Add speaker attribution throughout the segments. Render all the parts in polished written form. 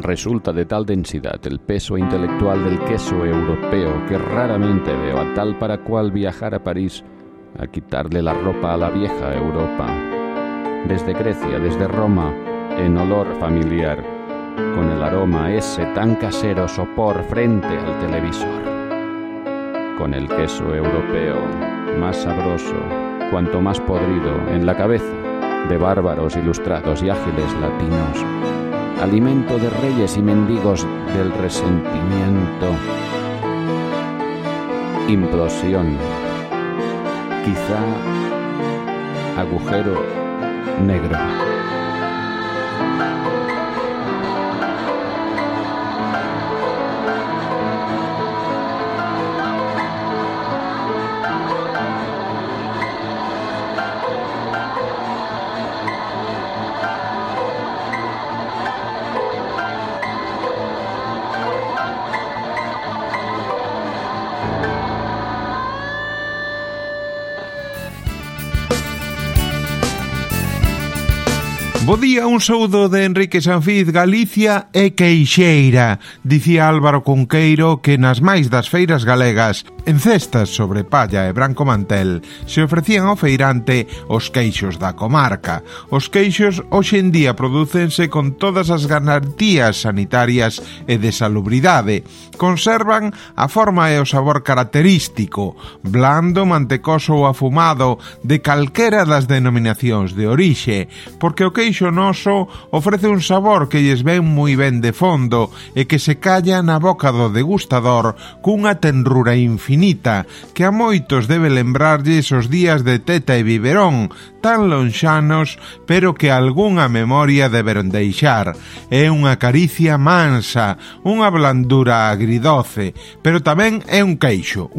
Speaker 1: Resulta de tal densidad el peso intelectual del queso europeo que raramente veo a tal para cual viajar a París a quitarle la ropa a la vieja Europa. Desde Grecia, desde Roma, en olor familiar, con el aroma ese tan casero sopor frente al televisor. Con el queso europeo, más sabroso, cuanto más podrido, en la cabeza de bárbaros ilustrados y ágiles latinos, alimento de reyes y mendigos del resentimiento, implosión, quizá agujero negro.
Speaker 2: Bo día, un saúdo de Enrique Sanfiz. Galicia é queixeira, dicía Álvaro Cunqueiro, que nas máis das feiras galegas, en cestas sobre palla e branco mantel, se ofrecían ao feirante os queixos da comarca. Os queixos hoxe en día prodúcense con todas as garantías sanitarias e de salubridade. Conservan a forma e o sabor característico, blando, mantecoso ou afumado, de calquera das denominacións de orixe, porque o queixo noso ofrece un sabor que lles ven moi ben de fondo e que se calla na boca do degustador cunha tenrura infinita que a moitos debe lembrarlles os días de teta e biberón, tan lonxanos, pero que algunha memoria deberon deixar. É unha caricia mansa, unha blandura agridoce, pero tamén é un queixo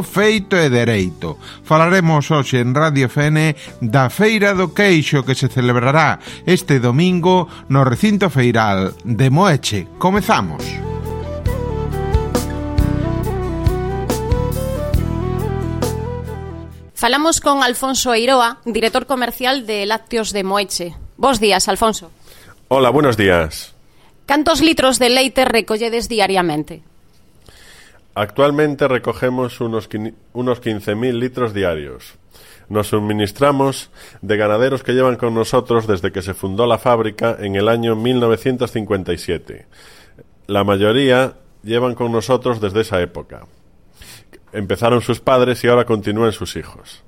Speaker 2: feito e dereito. Falaremos hoxe en Radio FN da Feira do Queixo que se celebrará este domingo no recinto feiral de Moeche. Comezamos.
Speaker 3: Falamos con Alfonso Eiroa, director comercial de Lácteos de Moeche. Bos días, Alfonso.
Speaker 4: Hola, buenos días.
Speaker 3: Cantos litros de leite recolledes diariamente?
Speaker 4: Actualmente recogemos unos 15.000 litros diarios. Nos suministramos de ganaderos que llevan con nosotros desde que se fundó la fábrica en el año 1957. La mayoría llevan con nosotros desde esa época. Empezaron sus padres y ahora continúan sus hijos.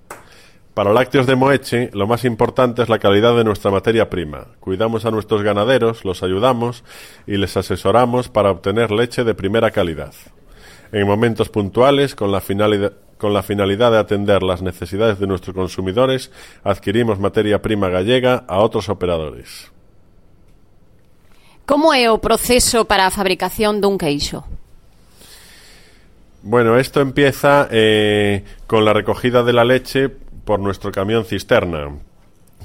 Speaker 4: Para Lácteos de Moeche, lo más importante es la calidad de nuestra materia prima. Cuidamos a nuestros ganaderos, los ayudamos y les asesoramos para obtener leche de primera calidad. En momentos puntuales, con la finalidad de atender las necesidades de nuestros consumidores, adquirimos materia prima gallega a otros operadores.
Speaker 3: Como é o proceso para a fabricación dun queixo?
Speaker 4: Bueno, esto empieza con la recogida de la leche por nuestro camión cisterna,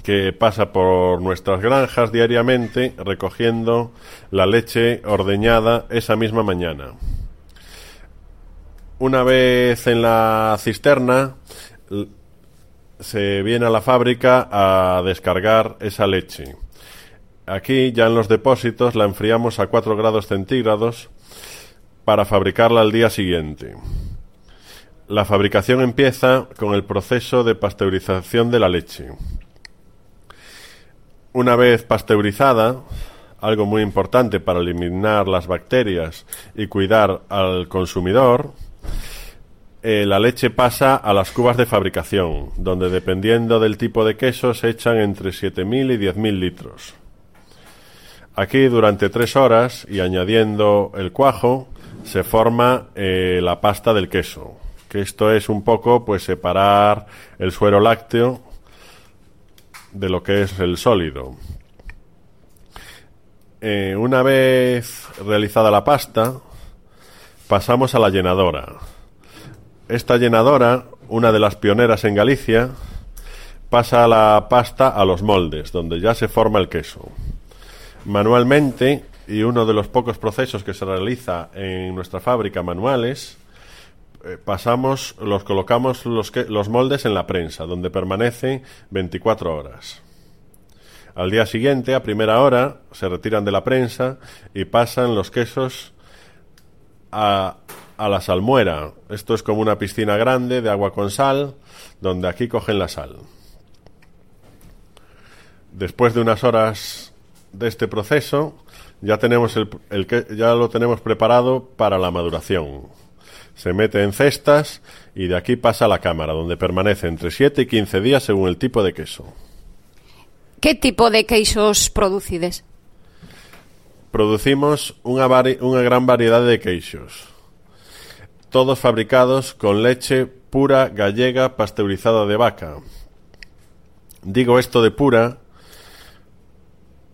Speaker 4: que pasa por nuestras granjas diariamente recogiendo la leche ordeñada esa misma mañana. Una vez en la cisterna, se viene a la fábrica a descargar esa leche. Aquí, ya en los depósitos, la enfriamos a 4 grados centígrados para fabricarla al día siguiente. La fabricación empieza con el proceso de pasteurización de la leche. Una vez pasteurizada, algo muy importante para eliminar las bacterias y cuidar al consumidor, la leche pasa a las cubas de fabricación, donde dependiendo del tipo de queso se echan entre 7.000 y 10.000 litros. Aquí durante 3 horas y añadiendo el cuajo se forma la pasta del queso, que esto es un poco pues separar el suero lácteo de lo que es el sólido. Una vez realizada la pasta, pasamos a la llenadora. Esta llenadora, una de las pioneras en Galicia, pasa la pasta a los moldes, donde ya se forma el queso. Manualmente, y uno de los pocos procesos que se realiza en nuestra fábrica manuales, colocamos los moldes en la prensa, donde permanece 24 horas. Al día siguiente, a primera hora, se retiran de la prensa y pasan los quesos a la salmuera. Esto es como una piscina grande de agua con sal, donde aquí cogen la sal. Después de unas horas de este proceso, ya tenemos ya lo tenemos preparado para la maduración. Se mete en cestas y de aquí pasa a la cámara, donde permanece entre 7 y 15 días según el tipo de queso.
Speaker 3: ¿Qué tipo de queixos producides?
Speaker 4: Producimos una gran variedad de queixos, todos fabricados con leche pura gallega pasteurizada de vaca. Digo esto de pura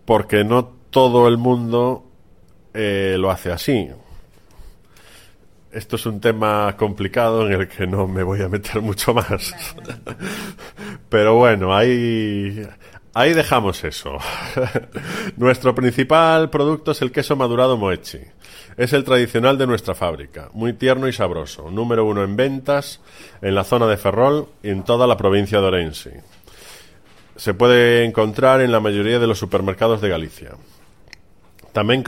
Speaker 4: porque no todo el mundo lo hace así. Esto es un tema complicado en el que no me voy a meter mucho más. Pero bueno, ahí dejamos eso. Nuestro principal producto es el queso madurado Moeche. Es el tradicional de nuestra fábrica, muy tierno y sabroso, número 1 en ventas en la zona de Ferrol y en toda la provincia de Orense. Se puede encontrar en la mayoría de los supermercados de Galicia. También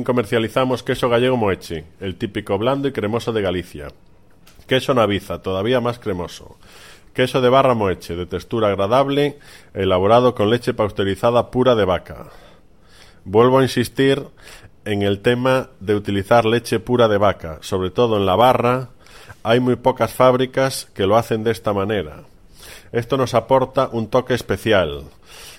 Speaker 4: comercializamos queso gallego Moeche, el típico blando y cremoso de Galicia. Queso Naviza, todavía más cremoso. Queso de barra Moeche, de textura agradable, elaborado con leche pasteurizada pura de vaca. Vuelvo a insistir en el tema de utilizar leche pura de vaca, sobre todo en la barra. Hay muy pocas fábricas que lo hacen de esta manera. Esto nos aporta un toque especial.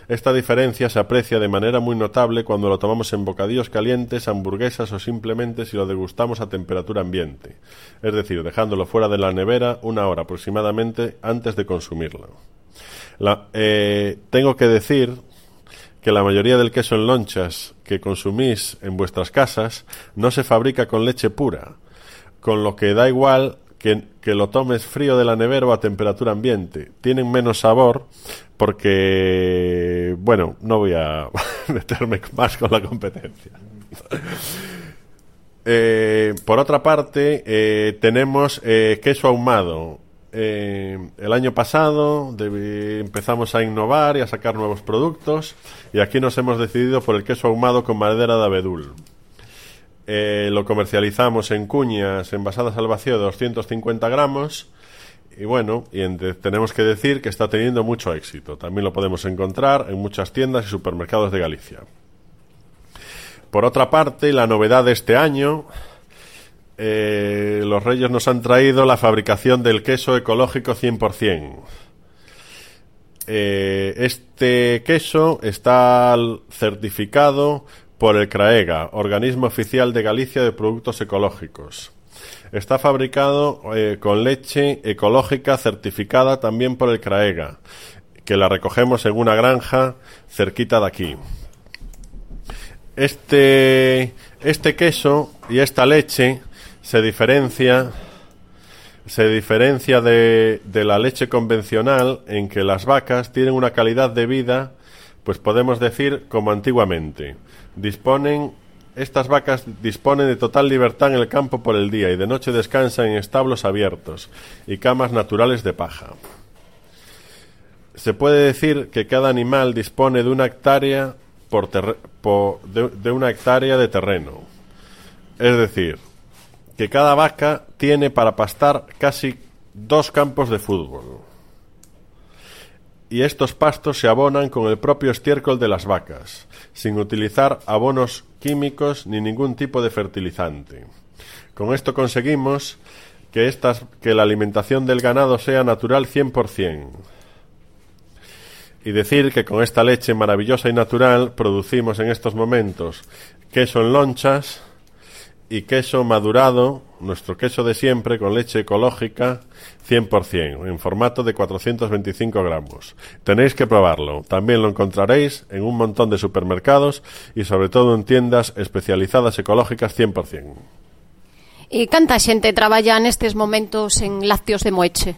Speaker 4: Esta diferencia se aprecia de manera muy notable cuando lo tomamos en bocadillos calientes, hamburguesas o simplemente si lo degustamos a temperatura ambiente, es decir, dejándolo fuera de la nevera 1 hora aproximadamente antes de consumirlo. Tengo que decir que la mayoría del queso en lonchas que consumís en vuestras casas no se fabrica con leche pura, con lo que da igual que lo tomes frío de la nevera o a temperatura ambiente. Tienen menos sabor porque, bueno, no voy a meterme más con la competencia. Por otra parte, tenemos queso ahumado. El año pasado empezamos a innovar y a sacar nuevos productos y aquí nos hemos decidido por el queso ahumado con madera de abedul. Lo comercializamos en cuñas envasadas al vacío de 250 gramos y bueno, tenemos que decir que está teniendo mucho éxito. También lo podemos encontrar en muchas tiendas y supermercados de Galicia. Por otra parte, la novedad de este año, los Reyes nos han traído la fabricación del queso ecológico 100%. Este queso está certificado por el CRAEGA, Organismo Oficial de Galicia de Productos Ecológicos. Está fabricado con leche ecológica certificada también por el CRAEGA, que la recogemos en una granja cerquita de aquí. Este queso y esta leche se diferencia de la leche convencional en que las vacas tienen una calidad de vida, pues podemos decir como antiguamente. Estas vacas disponen de total libertad en el campo por el día y de noche descansan en establos abiertos y camas naturales de paja. Se puede decir que cada animal dispone de 1 hectárea de 1 hectárea de terreno. Es decir, que cada vaca tiene para pastar casi 2 campos de fútbol. Y estos pastos se abonan con el propio estiércol de las vacas, sin utilizar abonos químicos ni ningún tipo de fertilizante. Con esto conseguimos que la alimentación del ganado sea natural 100%. Y decir que con esta leche maravillosa y natural producimos en estos momentos queso en lonchas y queso madurado, nuestro queso de siempre, con leche ecológica 100%, en formato de 425 gramos. Tenéis que probarlo. También lo encontraréis en un montón de supermercados y sobre todo en tiendas especializadas ecológicas 100%.
Speaker 3: E canta xente traballa nestes momentos en Lácteos de Moeche?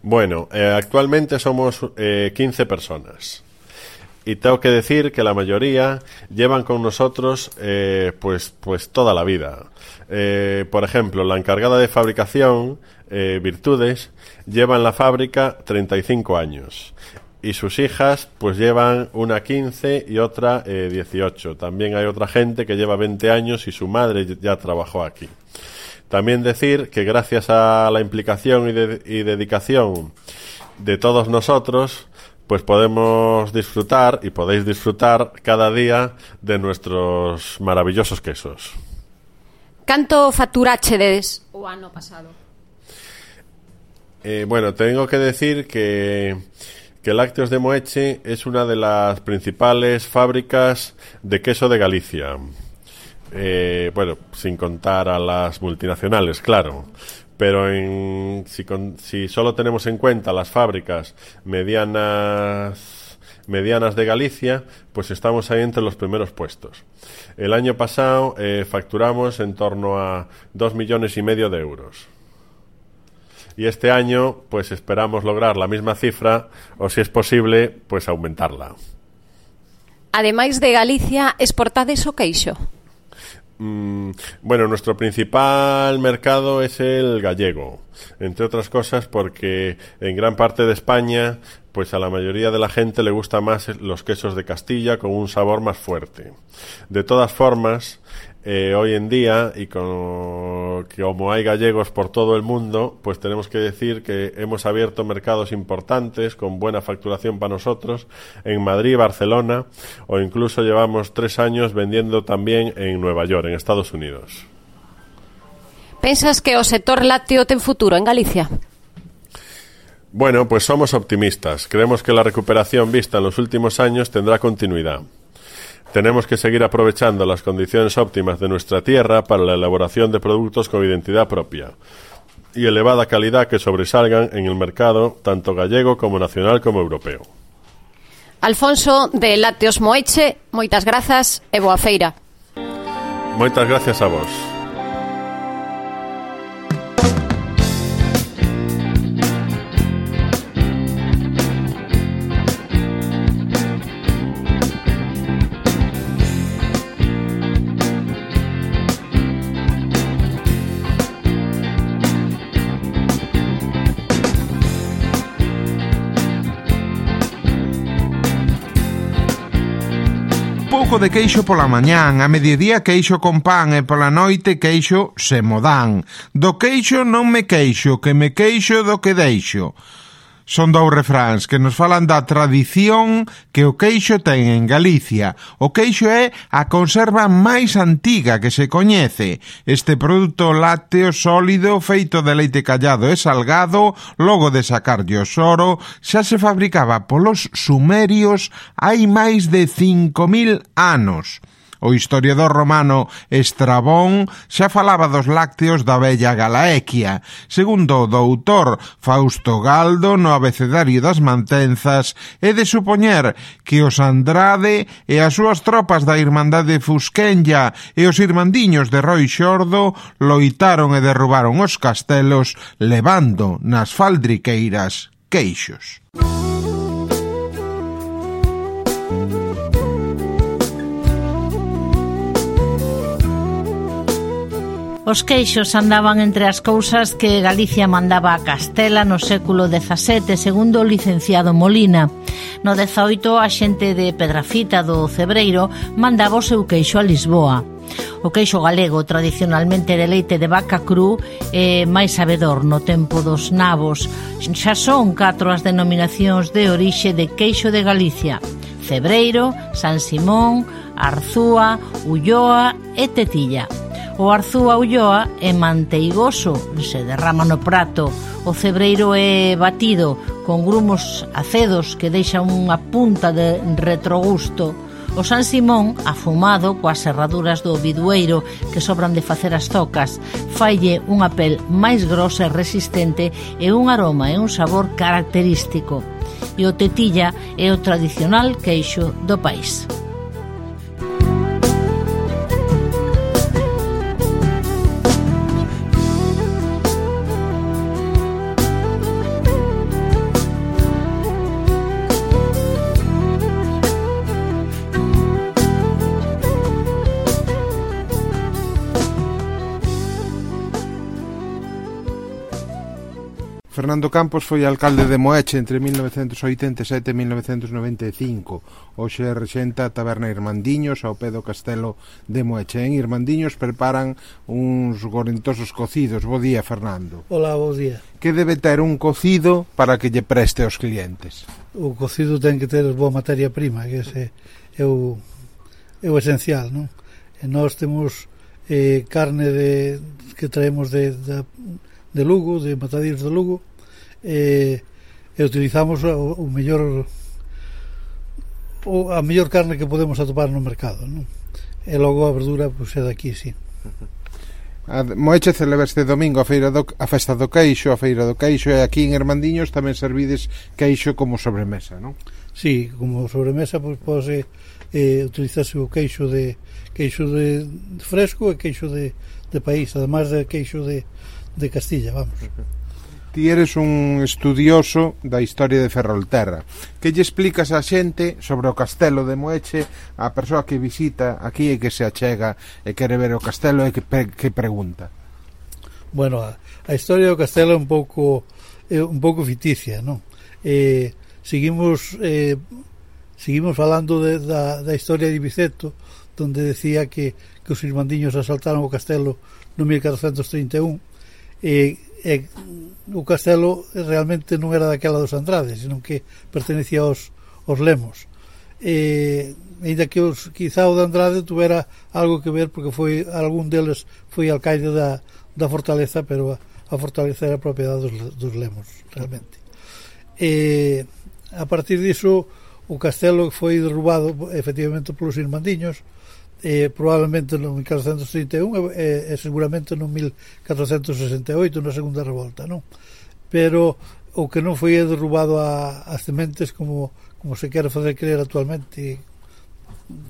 Speaker 4: Bueno, actualmente somos 15 personas. Y tengo que decir que la mayoría llevan con nosotros pues toda la vida. Por ejemplo, la encargada de fabricación, Virtudes, lleva en la fábrica 35 años. y sus hijas pues llevan una 15 y otra 18. También hay otra gente que lleva 20 años y su madre ya trabajó aquí. También decir que gracias a la implicación y dedicación de todos nosotros, pues podemos disfrutar y podéis disfrutar cada día de nuestros maravillosos quesos.
Speaker 3: Canto facturachedes o ano pasado?
Speaker 4: Bueno, tengo que decir que Lácteos de Moeche es una de las principales fábricas de queso de Galicia. Bueno, sin contar a las multinacionales, claro. Pero si solo tenemos en cuenta las fábricas medianas de Galicia, pues estamos ahí entre los primeros puestos. El año pasado facturamos en torno a 2,5 millones de euros. Y este año pues esperamos lograr la misma cifra o, si es posible, pues aumentarla.
Speaker 3: Ademais de Galicia, exportades o queixo?
Speaker 4: Bueno, nuestro principal mercado es el gallego, entre otras cosas porque en gran parte de España pues a la mayoría de la gente le gusta más los quesos de Castilla con un sabor más fuerte. De todas formas, hoy en día, y como hay gallegos por todo el mundo, pues tenemos que decir que hemos abierto mercados importantes con buena facturación para nosotros en Madrid, Barcelona, o incluso llevamos 3 años vendiendo también en Nueva York, en Estados Unidos.
Speaker 3: Pensas que o sector lácteo ten futuro en Galicia?
Speaker 4: Bueno, pues somos optimistas. Creemos que la recuperación vista en los últimos años tendrá continuidad. Tenemos que seguir aprovechando las condiciones óptimas de nuestra tierra para la elaboración de productos con identidad propia y elevada calidad que sobresalgan en el mercado tanto gallego como nacional como europeo.
Speaker 3: Alfonso, de Lácteos Moeche, moitas grazas e boa feira.
Speaker 4: Moitas gracias a vos.
Speaker 2: Pouco de queixo pola mañán, a mediodía queixo con pan e pola noite queixo se mo dan. Do queixo non me queixo, que me queixo do que deixo. Son 2 refráns que nos falan da tradición que o queixo ten en Galicia. O queixo é a conserva máis antiga que se coñece. Este produto lácteo sólido feito de leite callado e salgado, logo de sacarlle o soro, xa se fabricaba polos sumerios hai máis de 5.000 anos. O historiador romano Estrabón xa falaba dos lácteos da vella Galaequia. Segundo o doutor Fausto Galdo no Abecedario das Mantenzas, é de supoñer que os Andrade e as súas tropas da Irmandade Fusquenlla e os irmandiños de Roi Xordo loitaron e derrubaron os castelos levando nas faldriqueiras queixos.
Speaker 5: Os queixos andaban entre as cousas que Galicia mandaba a Castela no século XVII, segundo o licenciado Molina. No 18, a xente de Pedrafita do Cebreiro mandaba o seu queixo a Lisboa. O queixo galego, tradicionalmente de leite de vaca cru, é máis sabedor no tempo dos nabos. Xa son 4 as denominacións de orixe de queixo de Galicia: Cebreiro, San Simón, Arzúa, Ulloa e Tetilla. O Arzúa Ulloa é manteigoso, se derrama no prato. O Cebreiro é batido con grumos acedos que deixan unha punta de retrogusto. O San Simón, afumado coas serraduras do bidueiro que sobran de facer as zocas, faille unha pel máis grosa e resistente e un aroma e un sabor característico. E o Tetilla é o tradicional queixo do país.
Speaker 2: Fernando Campos foi alcalde de Moeche entre 1987 e 1995. Hoxe rexenta a taberna Irmandiños ao pé do castelo de Moeche. En Irmandiños preparan uns gorentosos cocidos. Bo día, Fernando.
Speaker 6: Hola, bo día.
Speaker 2: Que debe ter un cocido para que lle preste aos clientes?
Speaker 6: O cocido ten que ter boa materia prima, que ese é o esencial, non? E nós temos carne que traemos de Lugo, de Matadeiros de Lugo, e utilizamos a mellor carne que podemos atopar no mercado, non? E logo a verdura pois é daqui, sí.
Speaker 2: Moeche celebra este domingo a festa do queixo, a feira do queixo, e aquí en Irmandiños tamén servides queixo como sobremesa, non?
Speaker 6: Sí, como sobremesa pois pode utilizarse o queixo de fresco e queixo de país, además de queixo de Castilla, vamos.
Speaker 2: Ti eres un estudioso da historia de Ferrolterra. Que lle explicas a xente sobre o castelo de Moeche, a persoa que visita aquí e que se achega e quere ver o castelo e que pregunta?
Speaker 6: Bueno, a historia do castelo é un pouco ficticia, non? Seguimos falando da historia de Biceto, donde decía que os irmandiños asaltaron o castelo no 1431 o castelo realmente non era daquela dos Andrades, senón que pertenecía aos Lemos, ainda que quizá o de Andrade tuvera algo que ver, porque algún deles foi alcaide da fortaleza, pero a fortaleza era propiedade dos Lemos realmente. A partir diso o castelo foi derrubado efectivamente polos irmandiños, probablemente no 1431 e seguramente no 1468 na segunda revolta, non? Pero o que non foi derrubado as sementes como se quere fazer creer actualmente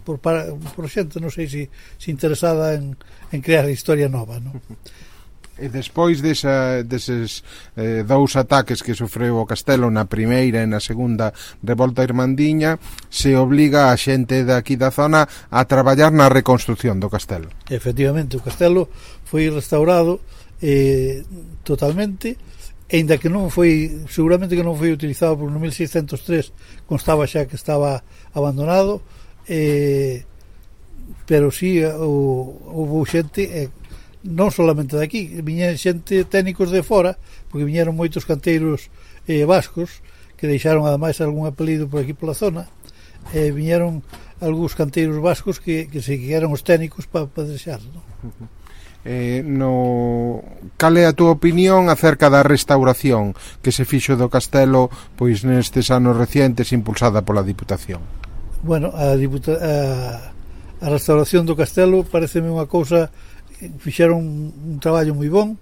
Speaker 6: por xente, non sei se interesada en crear historia nova, non?
Speaker 2: E despois deses dous ataques que sofreu o castelo na primeira e na segunda revolta irmandiña, se obliga a xente daqui da zona a traballar na reconstrucción do castelo.
Speaker 6: Efectivamente, o castelo foi restaurado totalmente, ainda que seguramente que non foi utilizado por no 1603, constaba xa que estaba abandonado, pero sí houve xente non solamente daqui, viñeron xente técnicos de fora, porque viñeron moitos canteiros vascos que deixaron ademais algún apelido por aquí pola zona, viñeron algúns canteiros vascos que eran os técnicos para deixar, non?
Speaker 2: Cal é a túa opinión acerca da restauración que se fixo do castelo pois nestes anos recientes impulsada pola Diputación?
Speaker 6: Bueno, a restauración do castelo pareceme unha cousa, fixeron un traballo moi bon,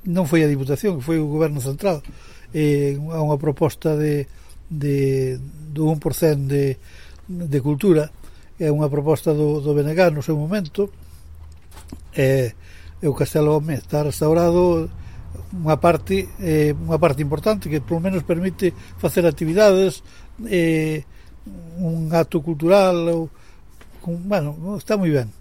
Speaker 6: non foi a Diputación, foi o Goberno Central, a unha proposta do 1% de cultura, é unha proposta do BNG no seu momento, e o castelo está restaurado, unha parte importante que polo menos permite facer actividades, un acto cultural, bueno, está moi ben.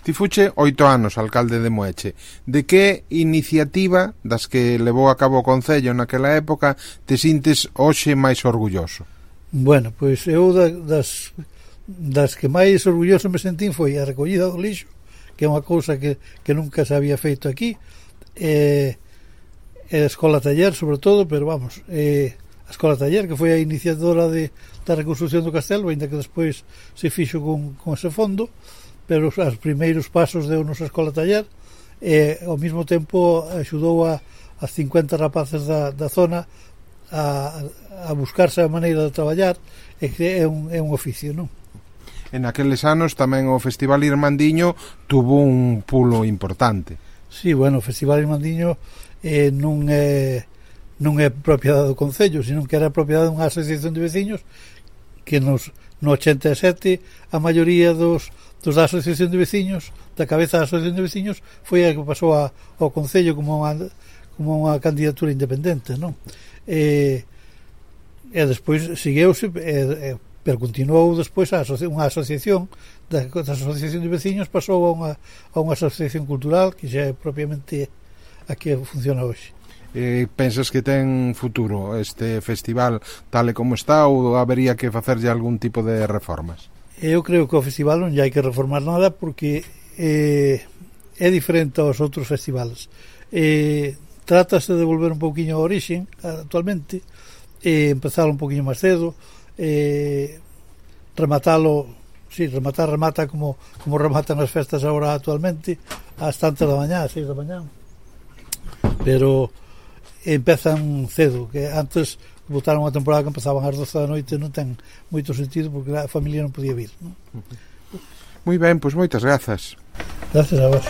Speaker 2: Ti fuche 8 anos alcalde de Moeche. De que iniciativa das que levou a cabo o Concello naquela época te sintes hoxe máis orgulloso?
Speaker 6: Bueno, pois eu das que máis orgulloso me sentín foi a recollida do lixo, que é unha cousa que nunca se había feito aquí, e a Escola Taller sobre todo, pero vamos, a Escola Taller, que foi a iniciadora da reconstrucción do castelo, ainda que despois se fixo con ese fondo, pero os primeiros pasos deu nosa Escola Taller, e ao mesmo tempo axudou a 50 rapaces da zona a buscarse a maneira de traballar, e que é un oficio, non?
Speaker 2: En aqueles anos tamén o Festival Irmandiño tuvo un pulo importante.
Speaker 6: Sí, bueno, o Festival Irmandiño non é propiedade do Concello, sino que era propiedade dunha asociación de veciños que no 87 a maioría da asociación de veciños, da cabeza da asociación de veciños, foi a que pasou ao Concello como unha candidatura independente, non? E despois segueuse, pero continuou despois unha asociación da asociación de veciños, pasou a unha asociación cultural que xa é propiamente a que funciona hoxe.
Speaker 2: Pensas que ten futuro este festival tal e como está ou habería que facerlle algún tipo de reformas?
Speaker 6: Eu creo que o festival non hai que reformar nada porque é diferente aos outros festivales. Trátase de volver un pouquiño ao origen actualmente, empezar un pouquiño máis cedo, remata como rematan as festas agora actualmente ás tantas da mañá, ás 6 da mañá, pero empezan cedo, que antes botaron unha temporada que empezaban ás 12 da noite, non ten moito sentido porque a familia non podía vir, non?
Speaker 2: Moi ben, pois moitas grazas.
Speaker 6: Gracias a vos.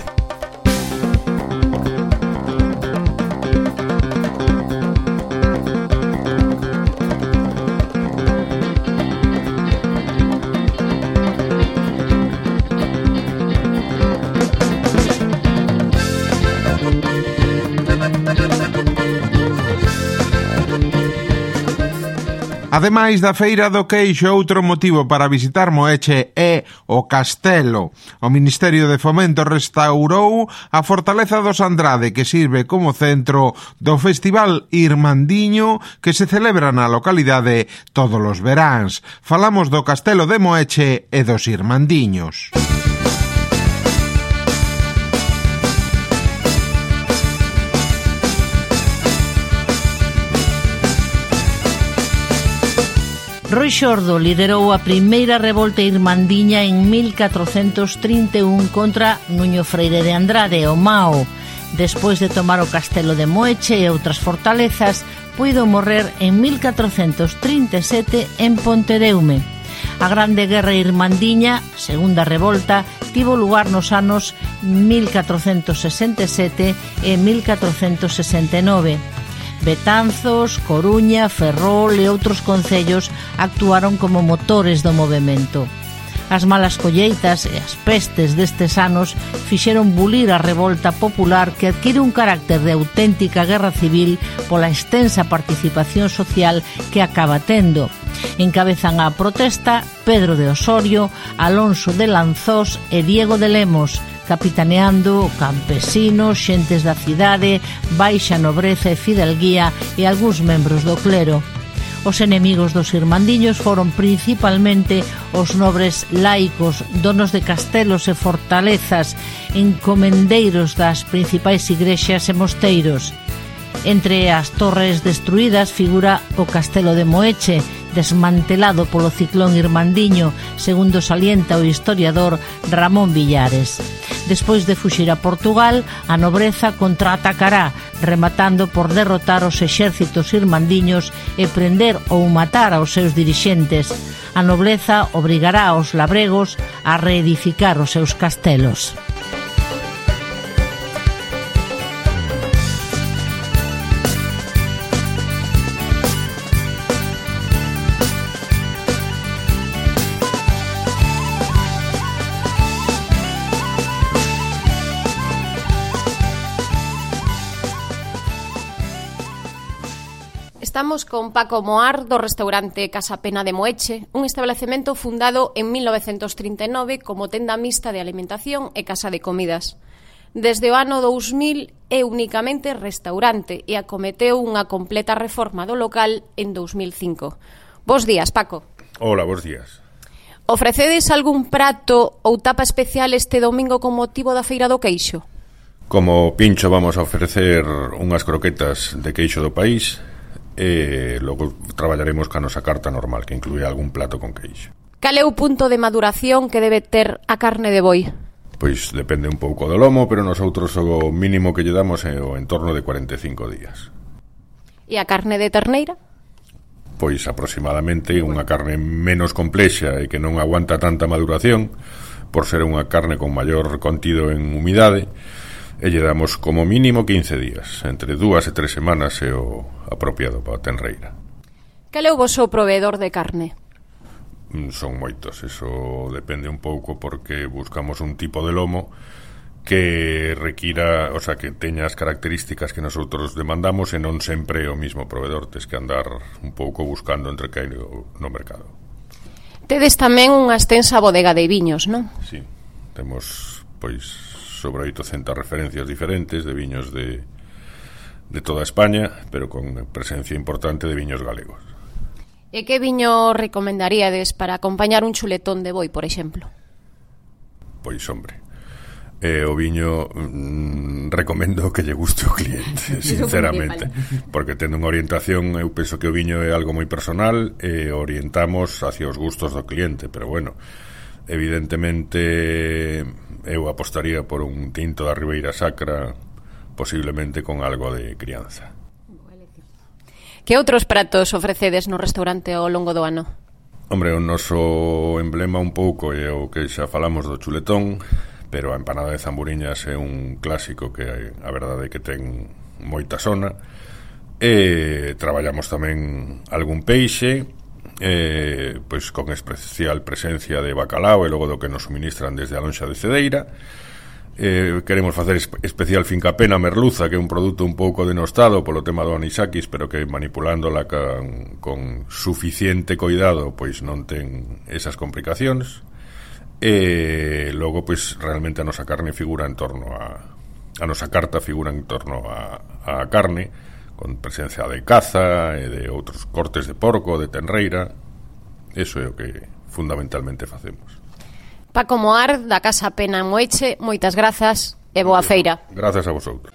Speaker 2: Ademais da Feira do Queixo, outro motivo para visitar Moeche é o Castelo. O Ministerio de Fomento restaurou a Fortaleza dos Andrade, que sirve como centro do Festival Irmandiño que se celebra na localidade todos os veráns. Falamos do Castelo de Moeche e dos Irmandiños.
Speaker 5: Roi Xordo liderou a primeira revolta irmandiña en 1431 contra Nuño Freire de Andrade, o Mao. Despois de tomar o castelo de Moeche e outras fortalezas, puido morrer en 1437 en Pontedeume. A Grande Guerra Irmandiña, segunda revolta, tivo lugar nos anos 1467 e 1469. Betanzos, Coruña, Ferrol e outros concellos actuaron como motores do movemento. As malas colleitas e as pestes destes anos fixeron bulir a revolta popular que adquire un carácter de auténtica guerra civil pola extensa participación social que acaba tendo. Encabezan a protesta Pedro de Osorio, Alonso de Lanzós e Diego de Lemos, capitaneando campesinos, xentes da cidade, baixa nobreza e fidelguía e algúns membros do clero. Os enemigos dos irmandiños foron principalmente os nobres laicos, donos de castelos e fortalezas, encomendeiros das principais igrexas e mosteiros. Entre as torres destruídas figura o castelo de Moeche, desmantelado polo ciclón irmandiño, segundo salienta o historiador Ramón Villares. Despois de fuxir a Portugal, a nobreza contraatacará, rematando por derrotar os exércitos irmandiños e prender ou matar aos seus dirixentes. A nobleza obrigará aos labregos a reedificar os seus castelos.
Speaker 3: Estamos con Paco Moar do restaurante Casa Pena de Moeche, un establecemento fundado en 1939 como tenda mixta de alimentación e casa de comidas. Desde o ano 2000 é únicamente restaurante e acometeu unha completa reforma do local en 2005. Bos días, Paco.
Speaker 7: Hola, bos días.
Speaker 3: Ofrecedes algún prato ou tapa especial este domingo con motivo da Feira do Queixo?
Speaker 7: Como pincho vamos a ofrecer unhas croquetas de queixo do país e logo traballaremos ca nosa carta normal que inclúe algún plato con queixo.
Speaker 3: Cal é o punto de maduración que debe ter a carne de boi?
Speaker 7: Pois depende un pouco do lomo, pero nosotros o mínimo que lle damos é o entorno de 45 días.
Speaker 3: E a carne de terneira?
Speaker 7: Pois aproximadamente unha carne menos complexa e que non aguanta tanta maduración por ser unha carne con maior contido en humidade, e lle damos como mínimo 15 días, entre 2 e 3 semanas é o apropiado para a tenreira.
Speaker 3: Cal é o voso proveedor de carne?
Speaker 7: Son moitos, eso depende un pouco porque buscamos un tipo de lomo que requira, o sea, que teña as características que nosotros demandamos e non sempre o mismo proveedor, tes que andar un pouco buscando entre que hai no mercado.
Speaker 3: Tedes tamén unha extensa bodega de viños, non?
Speaker 7: Sí, temos pois sobre 800 referencias diferentes de viños de de toda España, pero con presencia importante de viños galegos.
Speaker 3: E que viño recomendaríades para acompañar un chuletón de boi, por exemplo?
Speaker 7: Pois, hombre, o viño recomendo que lle guste o cliente, sinceramente, porque tendo unha orientación, eu penso que o viño é algo moi personal e orientamos hacia os gustos do cliente, pero bueno, evidentemente eu apostaría por un tinto da Ribeira Sacra, posiblemente con algo de crianza.
Speaker 3: Que outros pratos ofrecedes no restaurante ao longo do ano?
Speaker 7: Hombre, o noso emblema un pouco é o que xa falamos do chuletón, pero a empanada de zamburiñas é un clásico que a verdade é que ten moita sona. E traballamos tamén algún peixe, pois con especial presencia de bacalao e logo do que nos suministran desde a lonxa de Cedeira. Queremos facer especial fincapé na merluza, que é un produto un pouco denostado polo tema do anisakis, pero que manipulándola con suficiente coidado pois non ten esas complicacións. E logo pois realmente a nosa carne figura en torno a nosa carta figura en torno a carne, con presencia de caza e de outros cortes de porco, de tenreira. Eso é o que fundamentalmente facemos.
Speaker 3: Paco Moar, da Casa Pena en Moeche, moitas grazas e boa feira.
Speaker 7: Grazas a vosotros.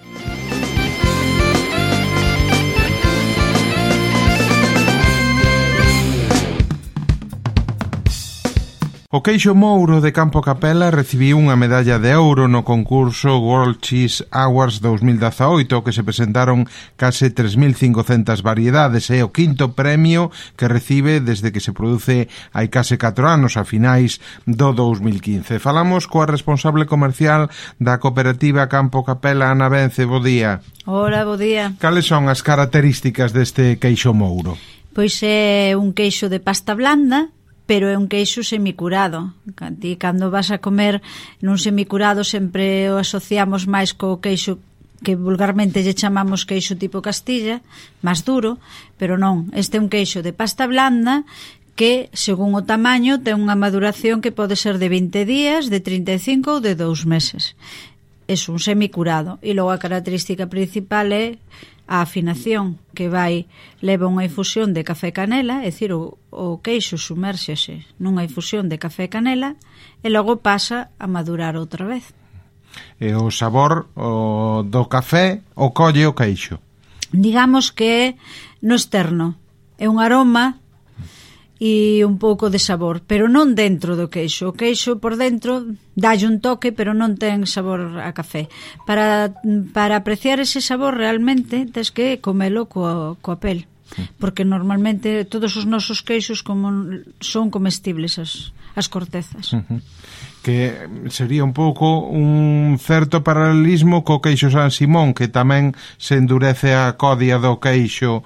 Speaker 2: O queixo mouro de Campo Capela recibiu unha medalla de ouro no concurso World Cheese Awards 2018 que se presentaron case 3.500 variedades. É o quinto premio que recibe desde que se produce hai case 4 anos, a finais do 2015. Falamos coa responsable comercial da cooperativa Campo Capela, Ana Vence. Bo día.
Speaker 5: Hola, bo día.
Speaker 2: Cales son as características deste queixo mouro?
Speaker 5: Pois é un queixo de pasta blanda, pero é un queixo semicurado. Ti, cando vas a comer nun semicurado, sempre o asociamos máis co queixo que vulgarmente lle chamamos queixo tipo Castilla, máis duro, pero non. Este é un queixo de pasta blanda que, según o tamaño, ten unha maduración que pode ser de 20 días, de 35 ou de 2 meses. É un semicurado. E logo a característica principal é a afinación, que leva unha infusión de café e canela, é dicir, o queixo sumérxese nunha infusión de café e canela e logo pasa a madurar outra vez.
Speaker 2: E o sabor do café o colle o queixo?
Speaker 5: Digamos que no externo é un aroma e un pouco de sabor, pero non dentro do queixo. O queixo por dentro dálle un toque, pero non ten sabor a café. Para apreciar ese sabor realmente tens que comelo coa pel, porque normalmente todos os nosos queixos son comestibles as cortezas.
Speaker 2: Que sería un pouco un certo paralelismo co queixo San Simón, que tamén se endurece a codia do queixo,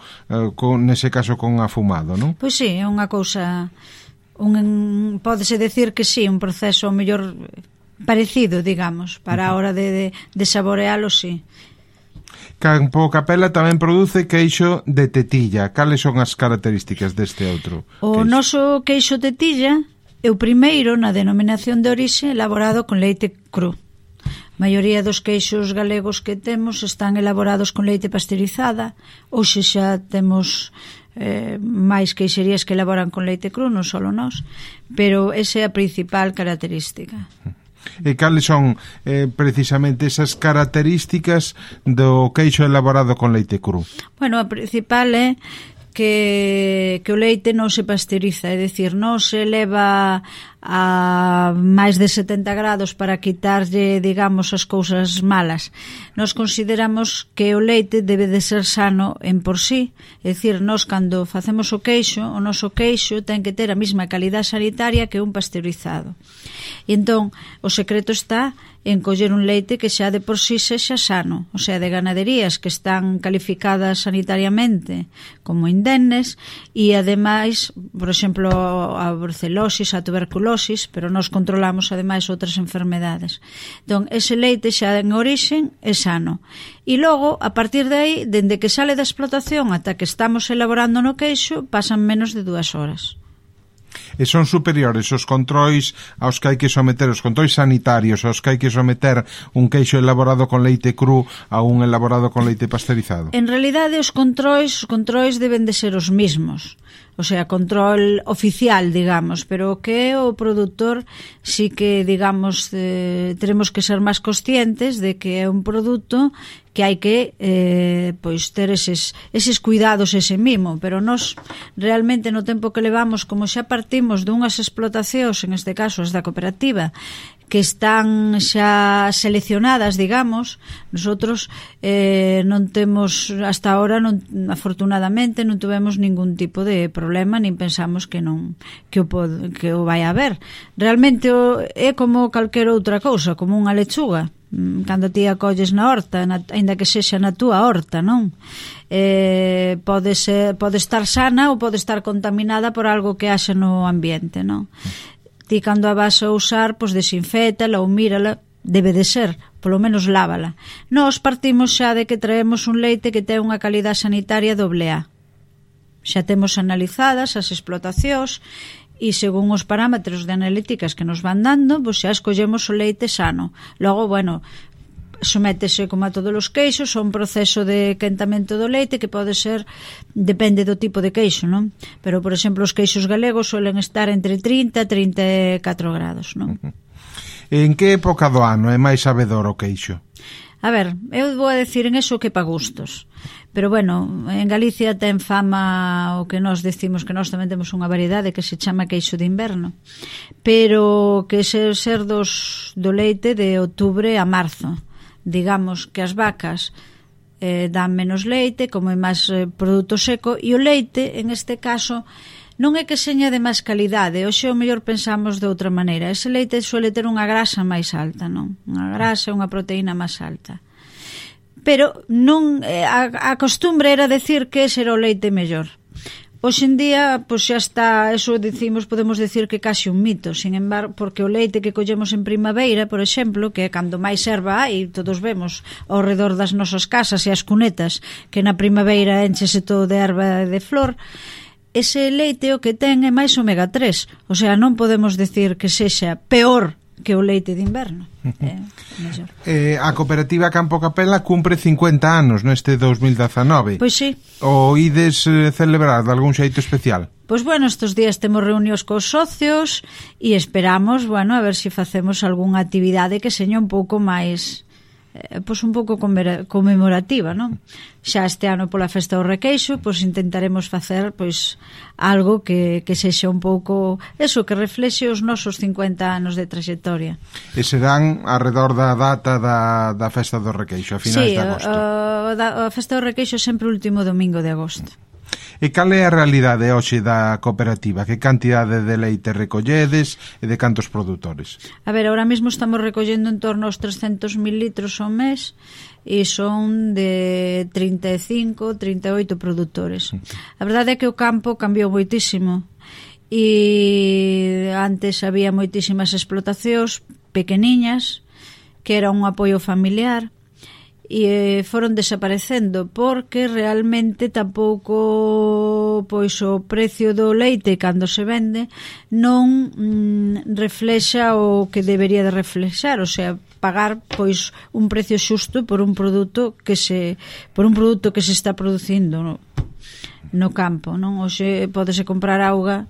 Speaker 2: nese caso con afumado, non?
Speaker 5: Pois sí, é unha cousa, pódese decir que sí, un proceso mellor parecido, digamos, para a hora de saborealo, sí.
Speaker 2: Campo Capela tamén produce queixo de tetilla. Cales son as características deste outro queixo?
Speaker 5: O noso queixo tetilla é o primeiro na denominación de orixe elaborado con leite cru. A maioría dos queixos galegos que temos están elaborados con leite pasteurizada, ou xa temos máis queixerías que elaboran con leite cru, non só nós, pero esa é a principal característica.
Speaker 2: E cales son precisamente esas características do queixo elaborado con leite cru?
Speaker 5: Bueno, a principal é que o leite non se pasteuriza, é dicir, non se leva a máis de 70 grados para quitarlle, digamos, as cousas malas. Nos consideramos que o leite debe de ser sano en por sí, é dicir, nos cando facemos o queixo, o noso queixo ten que ter a mesma calidad sanitaria que un pasteurizado. E entón, o secreto está en coller un leite que xa de por sí sexa sano, o sea, de ganaderías que están calificadas sanitariamente como indemnes e ademais, por exemplo, a brucelosis, a tuberculosis, pero nós controlamos ademais outras enfermedades. Entón, ese leite xa en orixen é sano. E logo, a partir de aí, dende que sale da explotación ata que estamos elaborando no queixo, pasan menos de 2 horas.
Speaker 2: E son superiores os controis aos que hai que someter, os controis sanitarios aos que hai que someter un queixo elaborado con leite cru a un elaborado con leite pasteurizado?
Speaker 5: En realidade os controis deben de ser os mismos, o sea, control oficial, digamos, pero o que é o produtor sí que, digamos, teremos que ser máis conscientes de que é un produto que hai que pois ter eses cuidados, ese mimo, pero nós realmente no tempo que levamos, como xa partimos dunhas explotacións, en este caso as da cooperativa, que están xa seleccionadas, digamos, nosotros non temos hasta ahora, afortunadamente non tuvemos ningún tipo de problema, nin pensamos que o vai haber. Realmente é como calquera outra cousa, como unha lechuga. Cando ti a colles na horta, aínda que sexa na túa horta, non? Pode estar sana ou pode estar contaminada por algo que haxa no ambiente, non? Ti cando a vas a usar, pois desinfétala ou mírala, debe de ser, polo menos lávala. Nós partimos xa de que traemos un leite que ten unha calidad sanitaria AA. Xa temos analizadas as explotacións e según os parámetros de analíticas que nos van dando, pois xa escollemos o leite sano. Logo, bueno, sométese como a todos os queixos a un proceso de quentamento do leite que pode ser, depende do tipo de queixo, non? Pero, por exemplo, os queixos galegos suelen estar entre 30 e 34 grados, non?
Speaker 2: En que época do ano é máis sabedor o queixo?
Speaker 5: A ver, eu vou a decir en eso que pa gustos. Pero, bueno, en Galicia ten fama o que nós decimos que nós tamén temos unha variedade que se chama queixo de inverno. Pero que ser do leite de outubro a marzo. Digamos que as vacas dan menos leite, como é máis produto seco, e o leite, en este caso, non é que seña de máis calidade, hoxe o mellor pensamos de outra maneira. Ese leite suele ter unha grasa máis alta, non? Unha grasa e unha proteína máis alta. Pero non a costumbre era decir que ese era o leite mellor. Hoxe en día, pois xa está, eso decimos, podemos decir que case un mito, sin embargo, porque o leite que collemos en primavera, por exemplo, que é cando máis erva hai, todos vemos ao redor das nosas casas e as cunetas, que na primavera enchese todo de erva e de flor, ese leite o que ten é máis omega 3, o sea, non podemos decir que sexa peor que o leite de inverno.
Speaker 2: A cooperativa Campo Capela cumpre 50 anos neste 2019.
Speaker 5: Pois sí.
Speaker 2: O ides celebrar de algún xeito especial?
Speaker 5: Pois bueno, estes días temos reunións cos socios e esperamos, bueno, a ver se facemos algunha actividade que seña un pouco máis pois un pouco conmemorativa, non? Xa este ano pola festa do Requeixo, pois intentaremos facer pois algo que sexa un pouco eso, que reflexe os nosos 50 anos de trayectoria.
Speaker 2: E serán alrededor da data da festa do Requeixo, a finais de agosto.
Speaker 5: A festa do Requeixo é sempre o último domingo de agosto.
Speaker 2: E cal é a realidade hoxe da cooperativa? Que cantidade de leite recolledes e de cantos produtores?
Speaker 5: A ver, ahora mesmo estamos recollendo en torno aos 300.000 litros ao mes e son de 35, 38 produtores. A verdade é que o campo cambiou moitísimo e antes había moitísimas explotacións pequeniñas que era un apoio familiar e foron desaparecendo porque realmente tampouco pois o precio do leite cando se vende non reflexa o que debería de reflexar, o sea, pagar pois un precio xusto por un produto que se está producindo no campo, non? Hoxe pódese comprar auga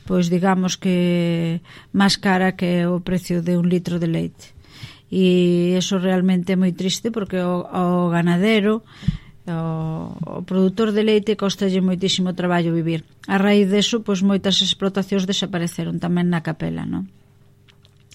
Speaker 5: pois digamos que máis cara que o precio de un litro de leite. E iso realmente é moi triste porque o ganadero, o produtor de leite costalle moitísimo traballo vivir. A raíz deso, pois moitas explotacións desapareceron tamén na Capela, non?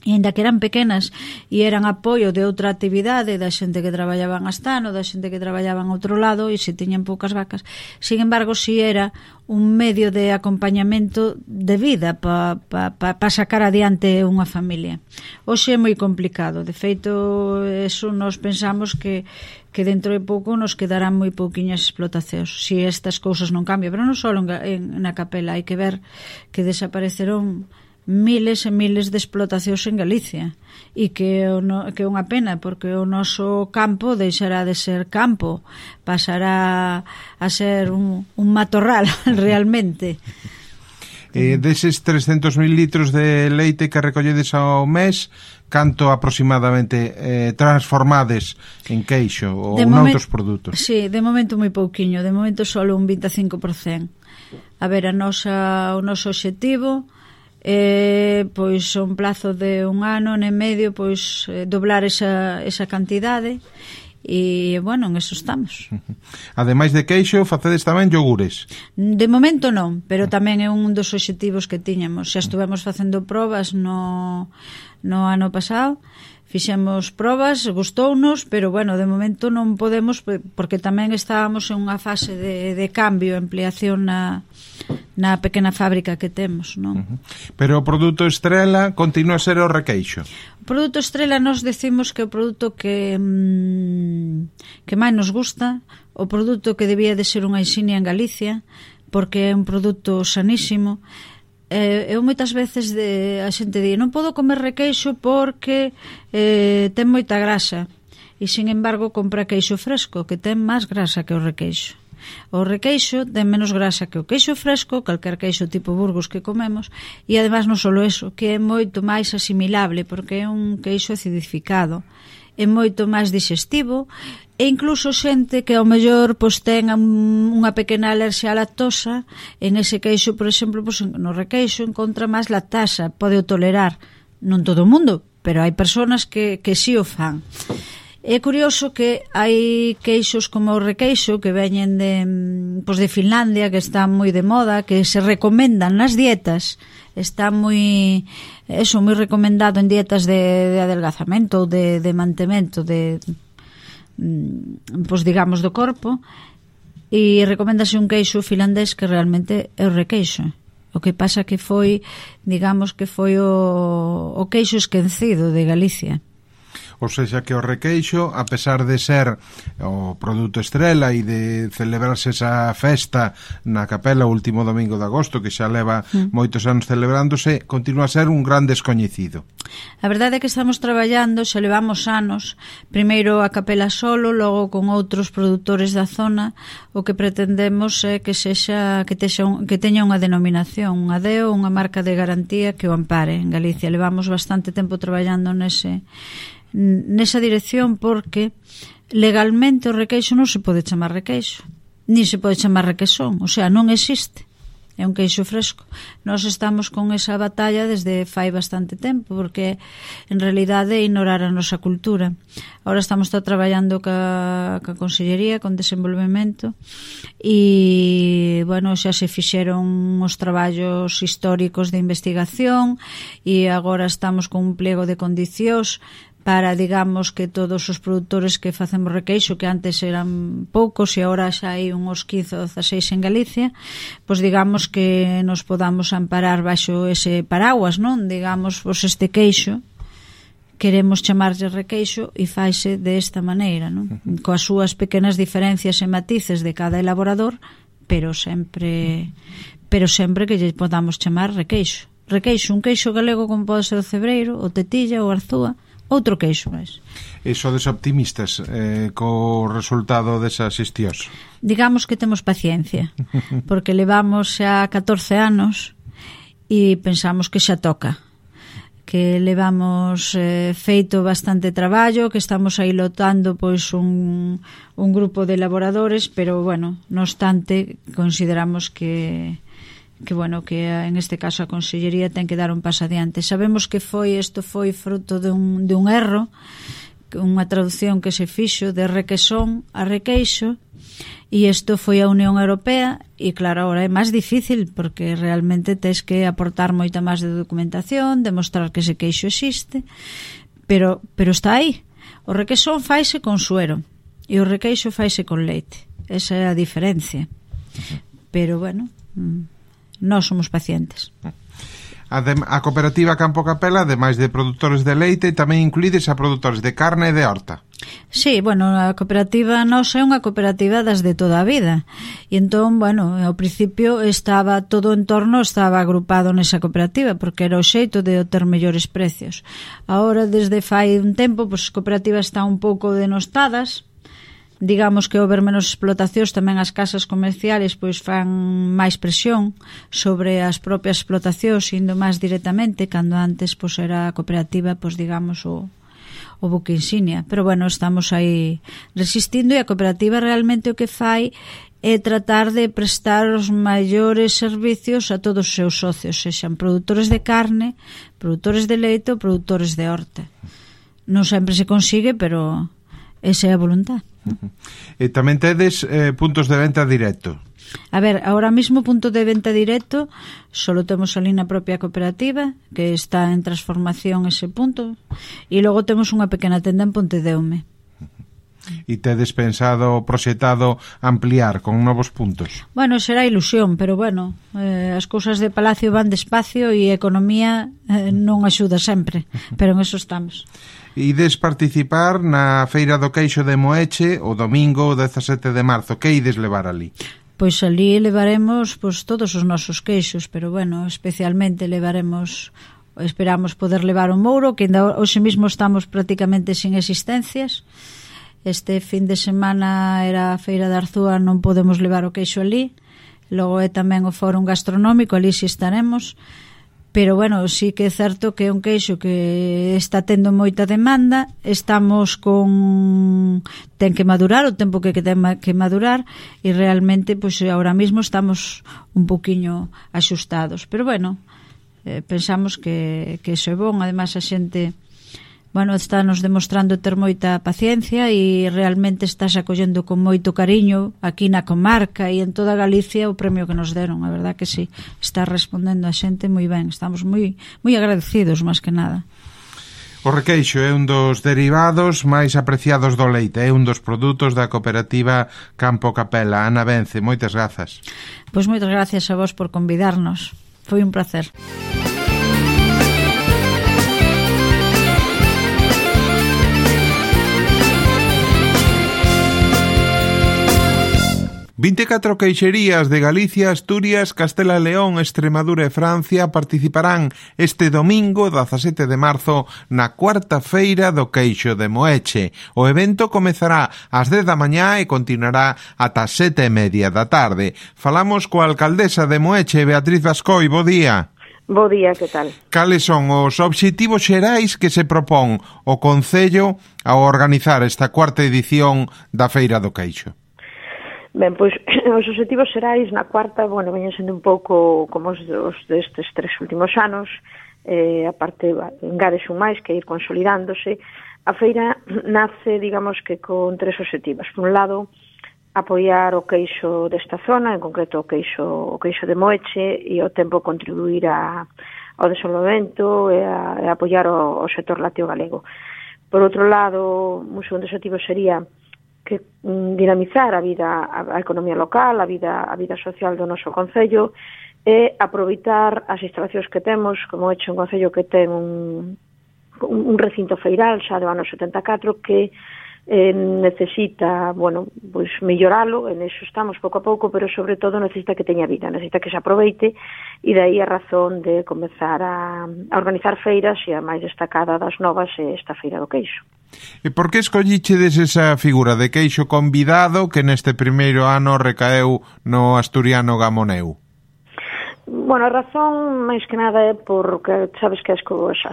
Speaker 5: E ainda que eran pequenas e eran apoio de outra actividade da xente que traballaba en Astano, da xente que traballaba en outro lado e se tiñan poucas vacas, sin embargo si era un medio de acompañamento de vida para sacar adiante unha familia. Hoxe é moi complicado, de feito eso nos pensamos que dentro de pouco nos quedarán moi pouquiñas explotacións se estas cousas non cambian, pero non só na Capela, hai que ver que desapareceron miles e miles de explotacións en Galicia e que é unha pena porque o noso campo deixará de ser campo, pasará a ser un matorral realmente.
Speaker 2: Deses 300.000 litros de leite que recolledes ao mes, canto aproximadamente transformades en queixo ou noutros produtos?
Speaker 8: Sí, de momento moi pouquiño, de momento só un 25%. A ver, o noso obxectivo pois un plazo de un ano e medio, pois doblar esa cantidade. E, bueno, en eso estamos.
Speaker 2: Ademais de queixo, facedes tamén yogures?
Speaker 8: De momento non, pero tamén é un dos obxectivos que tiñamos. Xa estuvemos facendo probas no ano pasado, fixemos probas, gustounos, pero, bueno, de momento non podemos, porque tamén estábamos en unha fase de cambio, ampliación na pequena fábrica que temos, non?
Speaker 2: Pero o produto estrela continúa a ser o requeixo?
Speaker 8: O produto estrela nos decimos que o produto que máis nos gusta, o produto que debía de ser unha insignia en Galicia, porque é un produto sanísimo. Eu moitas veces a xente di, non podo comer requeixo porque ten moita grasa, e sin embargo compra queixo fresco, que ten máis grasa que o requeixo. O requeixo ten menos grasa que o queixo fresco, calquer queixo tipo Burgos que comemos, e ademais non só eso, que é moito máis asimilable, porque é un queixo acidificado, é moito máis digestivo, e incluso xente que ao mellor pois ten unha pequena alerxia á lactosa, en ese queixo, por exemplo, pois no requeixo encontra máis lactasa, pode o tolerar, non todo o mundo, pero hai persoas que si o fan. É curioso que hai queixos como o requeixo que veñen de Finlandia, que están moi de moda, que se recomendan nas dietas, está moi recomendado en dietas de adelgazamento ou de mantemento digamos do corpo, e recoméndase un queixo finlandés que realmente é o requeixo. O que pasa que foi, digamos que foi o queixo esquecido de Galicia.
Speaker 2: Ou seja, que o requeixo, a pesar de ser o produto estrela e de celebrarse esa festa na capela o último domingo de agosto, que xa leva moitos anos celebrándose, continúa a ser un gran descoñecido.
Speaker 8: A verdade é que estamos traballando, xa levamos anos, primeiro a capela solo, logo con outros produtores da zona. O que pretendemos é que teña unha denominación, unha DEO, unha marca de garantía que o ampare en Galicia. Levamos bastante tempo traballando nesa dirección, porque legalmente o requeixo non se pode chamar requeixo, ni se pode chamar requesón, o sea, non existe, é un queixo fresco. Nós estamos con esa batalla desde fai bastante tempo, porque en realidade é ignorar a nosa cultura. Ahora estamos traballando ca Consellería, con desenvolvemento, e, bueno, xa se fixeron os traballos históricos de investigación, e agora estamos con un pliego de condicións para, digamos, que todos os produtores que facemos requeixo, que antes eran poucos e agora xa hai uns 15 ou 16 en Galicia, pois digamos que nos podamos amparar baixo ese paraguas, non? Digamos, pois este queixo queremos chamarlle requeixo e faise desta maneira, non? Coas súas pequenas diferencias e matices de cada elaborador, pero sempre que lle podamos chamar requeixo. Requeixo, un queixo galego como pode ser o cebreiro, o tetilla, o arzúa, outro queixo máis.
Speaker 2: E sodes optimistas co resultado desa xestión?
Speaker 8: Digamos que temos paciencia, porque levamos xa 14 anos e pensamos que xa toca, que levamos feito bastante traballo, que estamos aí lotando pois un grupo de elaboradores, pero, bueno, no obstante, consideramos que en este caso a Consellería ten que dar un paso adiante. Sabemos que isto foi fruto de un erro, unha traducción que se fixo de requesón a requeixo, e isto foi a Unión Europea, e claro, agora é máis difícil, porque realmente tens que aportar moita máis de documentación, demostrar que ese queixo existe, pero está aí. O requesón faise con suero e o requeixo faise con leite. Esa é a diferencia. Pero, bueno, nós somos pacientes.
Speaker 2: A cooperativa Campo Capela, ademais de produtores de leite, tamén incluídes a produtores de carne e de horta.
Speaker 8: Sí, bueno, a cooperativa nosa é unha cooperativa das de toda a vida. E entón, bueno, ao principio todo o entorno estaba agrupado nesa cooperativa, porque era o xeito de ter mellores precios. Agora, desde fai un tempo, pois as cooperativas están un pouco denostadas, digamos que houber menos explotacións, tamén as casas comerciales pois fan máis presión sobre as propias explotacións, indo máis directamente, cando antes pois era a cooperativa, pois digamos o buque insignia. Pero bueno, estamos aí resistindo, e a cooperativa realmente o que fai é tratar de prestar os maiores servicios a todos os seus socios, sexan produtores de carne, produtores de leite ou produtores de horta. Non sempre se consigue, pero esa é a voluntad.
Speaker 2: E tamén tedes puntos de venta directo?
Speaker 8: A ver, ahora mismo punto de venta directo solo temos ali na propia cooperativa, que está en transformación ese punto, e logo temos unha pequena tenda en Pontedeume.
Speaker 2: E tedes pensado, proxectado ampliar con novos puntos?
Speaker 8: Bueno, será ilusión, pero bueno, as cousas de Palacio van despacio e a economía non axuda sempre, pero en eso estamos.
Speaker 2: Ides participar na Feira do Queixo de Moeche o domingo 17 de marzo. Que ides levar ali?
Speaker 8: Pois ali levaremos pois, todos os nosos queixos, pero bueno, especialmente esperamos poder levar o mouro, que ainda hoxe mesmo estamos prácticamente sin existencias. Este fin de semana era a Feira de Arzúa, non podemos levar o queixo ali. Logo é tamén o fórum gastronómico, ali si estaremos. Pero bueno, sí que é certo que é un queixo que está tendo moita demanda, estamos ten que madurar o tempo que ten que madurar, e realmente pois ahora mismo estamos un poquiño axustados, pero bueno, pensamos que iso é bon. Ademais a xente está nos demostrando ter moita paciencia e realmente estás acollendo con moito cariño aquí na comarca e en toda Galicia o premio que nos deron. A verdad que sí, está respondendo a xente moi ben, estamos moi agradecidos máis que nada.
Speaker 2: O requeixo é un dos derivados máis apreciados do leite, é un dos produtos da cooperativa Campo Capela. Ana Vence, moitas grazas.
Speaker 8: Pois moitas gracias a vos por convidarnos, foi un placer.
Speaker 2: 24 queixerías de Galicia, Asturias, Castela e León, Extremadura e Francia participarán este domingo 17 de marzo na cuarta feira do Queixo de Moeche. O evento comezará ás 10 da mañá e continuará ata 7:30 da tarde. Falamos coa alcaldesa de Moeche, Beatriz Bascoi. Bo día.
Speaker 9: Bo día, que tal?
Speaker 2: Cales son os obxectivos xerais que se propón o Concello ao organizar esta cuarta edición da Feira do Queixo?
Speaker 9: Ben, pois, os obxectivos xerais na cuarta, veñen sendo un pouco como os destes 3 últimos anos, a parte, engades un máis que ir consolidándose. A feira nace, digamos, que con 3 obxectivos. Por un lado, apoiar o queixo desta zona, en concreto o queixo de Moeche, e ao tempo contribuir ao desenvolvemento e a apoiar o sector lácteo galego. Por outro lado, un segundo obxectivo sería que dinamizar a economía local, a vida social do noso concello, e aproveitar as instalacións que temos, como hecho un concello que ten un recinto feiral xa do ano 74 que necesita, pois melloralo, en eso estamos pouco a pouco, pero sobre todo necesita que teña vida, necesita que se aproveite, e dai a razón de comezar a organizar feiras, e a máis destacada das novas é esta Feira do Queixo.
Speaker 2: E por que escollichedes esa figura de queixo convidado que neste primeiro ano recaeu no asturiano Gamoneu?
Speaker 9: A razón, máis que nada, é porque sabes que as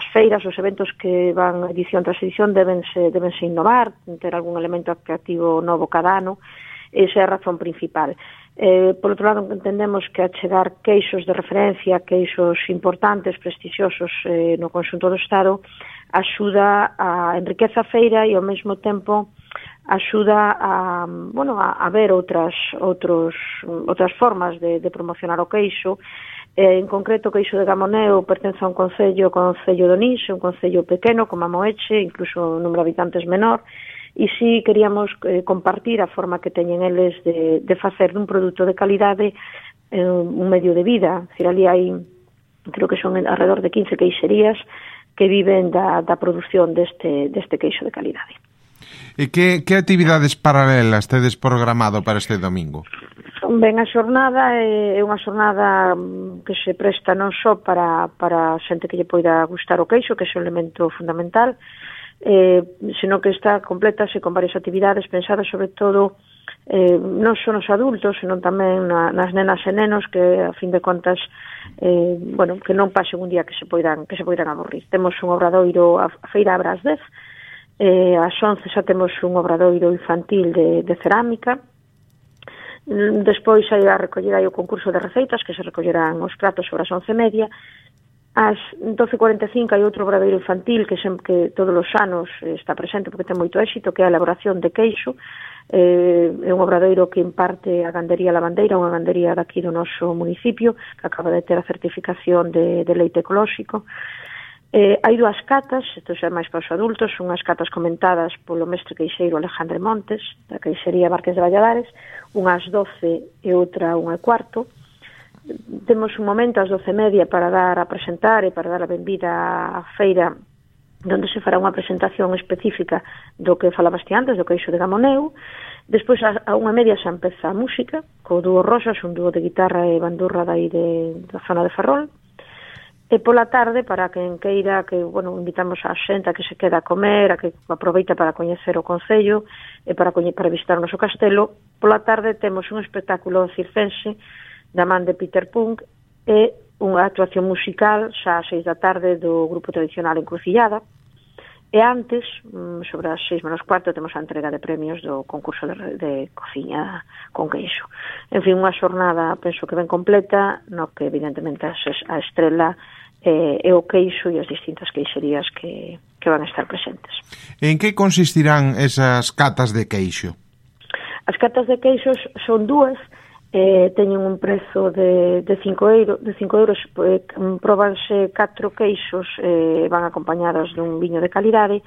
Speaker 9: feiras, os eventos que van edición tras edición debense innovar, ter algún elemento atractivo novo cada ano. Esa é a razón principal. Por outro lado, entendemos que achegar queixos de referencia, queixos importantes, prestixiosos no conxunto do Estado, axuda a enriqueza a feira e ao mesmo tempo axuda a ver outras formas de promocionar o queixo. En concreto, o queixo de Gamoneu pertence a un concello de Onís, un concello pequeno como a Moeche, incluso o número de habitantes menor, e si queríamos compartir a forma que teñen eles de facer dun produto de calidade un medio de vida. Es decir, ali hai, creo que son alrededor de 15 queixerías que viven da produción deste queixo de calidade.
Speaker 2: E que actividades paralelas tedes programado para este domingo?
Speaker 9: Ben, a xornada é unha xornada que se presta non só para xente que lle poida gustar o queixo, que é un elemento fundamental, senón que está complétase con varias actividades pensadas sobre todo non só nos adultos, senón tamén nas nenas e nenos que, a fin de contas, que non pasen un día que se poidan aburrir. Temos un obradoiro, a feira abre ás 10, ás 11 xa temos un obradoiro infantil de cerámica. Despois hai a recoller o concurso de receitas, que se recollerán os pratos sobre as 11:30. Ás 12:45 hai outro obradoiro infantil que todos os anos está presente porque ten moito éxito, que é a elaboración de queixo. É un obradoiro que imparte a gandería Lavandeira, unha gandería daqui do noso municipio, que acaba de ter a certificación de leite ecolóxico. Hai dúas catas, isto xa é máis para os adultos, unhas catas comentadas polo mestre queixeiro Alejandro Montes, da queixería Marques de Valladares, unhas 12 e outra 1:15. Temos un momento ás 12:30 para presentar e para dar a benvida á feira, onde se fará unha presentación específica do que falabaste antes, do queixo de Gamoneu. Despois a 1:30 xa empeza a música, co dúo Rosas, un dúo de guitarra e bandurra da zona de Ferrol. E pola tarde, para quen queira, que, invitamos a xente a que se queda a comer, a que aproveita para coñecer o concello e para visitar o noso castelo. Pola tarde temos un espectáculo circense da man de Peter Punk e unha actuación musical xa ás 6 da tarde do grupo tradicional Encrucillada. E antes, sobre as 6:15, temos a entrega de premios do concurso de cociña con queixo. En fin, unha xornada, penso que ben completa, no que evidentemente a estrela é o queixo e as distintas queixerías que van a estar presentes.
Speaker 2: En que consistirán esas catas de queixo?
Speaker 9: As catas de queixos son dúas, teñen un prezo de 5 euros, próbanse 4 queixos, van acompañados dun viño de calidade,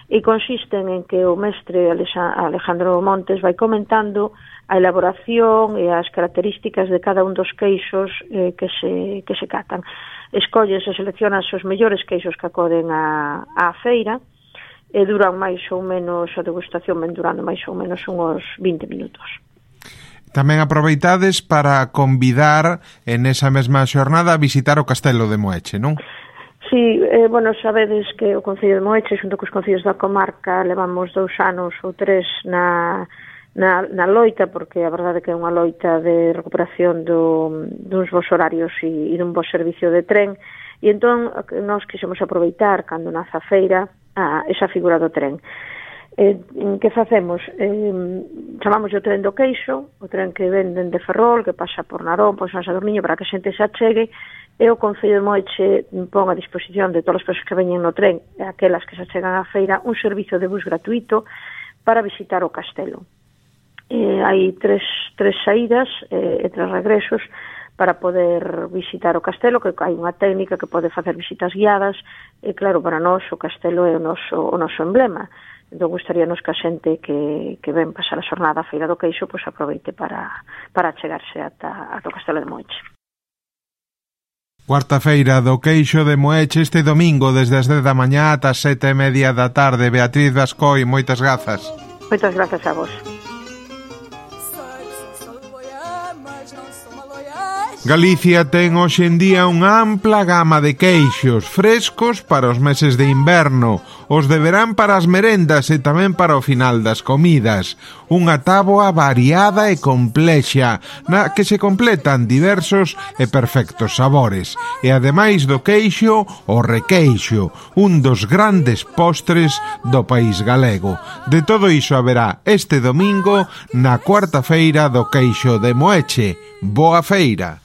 Speaker 9: e consisten en que o mestre Alejandro Montes vai comentando a elaboración e as características de cada un dos queixos que se catan. Escolles e seleccionas os mellores queixos que acoden á feira e duran máis ou menos, a degustación ven durando máis ou menos uns 20 minutos.
Speaker 2: Tamén aproveitades para convidar en esa mesma xornada a visitar o Castelo de Moeche, non?
Speaker 9: Sí, sabedes que o Concello de Moeche, xunto cos concellos da comarca, levamos 2 anos ou 3 na loita, porque a verdade que é unha loita de recuperación duns bons horarios e dun bo servicio de tren, e entón nós quixemos aproveitar, cando nace a feira, esa figura do tren. Que facemos? Chamamos o tren do queixo, o tren que venden de Ferrol, que pasa por Narón, por San Sadurniño, para que a xente se achegue, e o Concello de Moeche pon a disposición de todas as persoas que veñen no tren e aquelas que se achegan á feira un servizo de bus gratuito para visitar o castelo. Hai tres saídas e 3 regresos para poder visitar o castelo, que hai unha técnica que pode facer visitas guiadas, e claro, para nós o castelo é o noso emblema. Entón, gustaríanos que a xente que ven pasar a xornada a Feira do Queixo pois aproveite para chegarse ata o Castelo de Moeche.
Speaker 2: Cuarta feira do Queixo de Moeche este domingo desde as 10 da mañá ata as 7:30 da tarde. Beatriz Bascoi, moitas grazas.
Speaker 9: Moitas grazas a vos.
Speaker 2: Galicia ten hoxe en día unha ampla gama de queixos frescos para os meses de inverno, os de verán para as merendas e tamén para o final das comidas. Unha táboa variada e complexa, na que se completan diversos e perfectos sabores. E ademais do queixo, o requeixo, un dos grandes postres do país galego. De todo iso haberá este domingo na cuarta feira do Queixo de Moeche. Boa feira!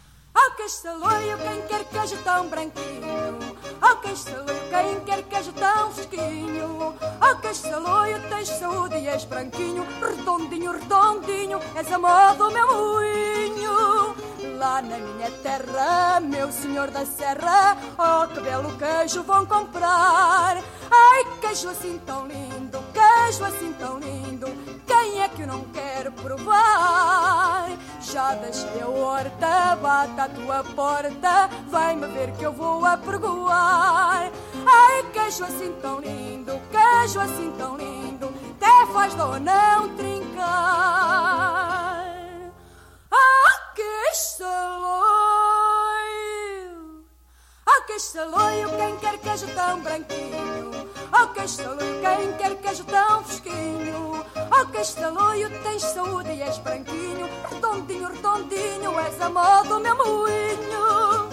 Speaker 10: Castaloio, quem quer queijo tão branquinho. Oh, Castaloio, quem quer queijo tão fresquinho. Oh, Castaloio, tens saúde e és branquinho. Redondinho, redondinho, és a moda do meu moinho. Lá na minha terra, meu senhor da serra, oh, que belo queijo vão comprar. Ai, queijo assim tão lindo, queijo assim tão lindo, quem é que eu não quero provar? Já deixei a horta, bate à tua porta, vai-me ver que eu vou apregoar. Ai, queijo assim tão lindo, queijo assim tão lindo, até faz dó não trincar. Ah, Castaloio, ah, Castaloio, quem quer queijo tão branquinho. Oh, Castaloio, quem quer queijo tão fresquinho. Oh, Castaloio, tens saúde e és branquinho. Redondinho, redondinho, és a moda do meu moinho.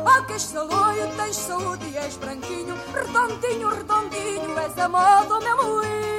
Speaker 10: Oh, Castaloio, tens saúde e és branquinho. Redondinho, redondinho, és a moda do meu moinho.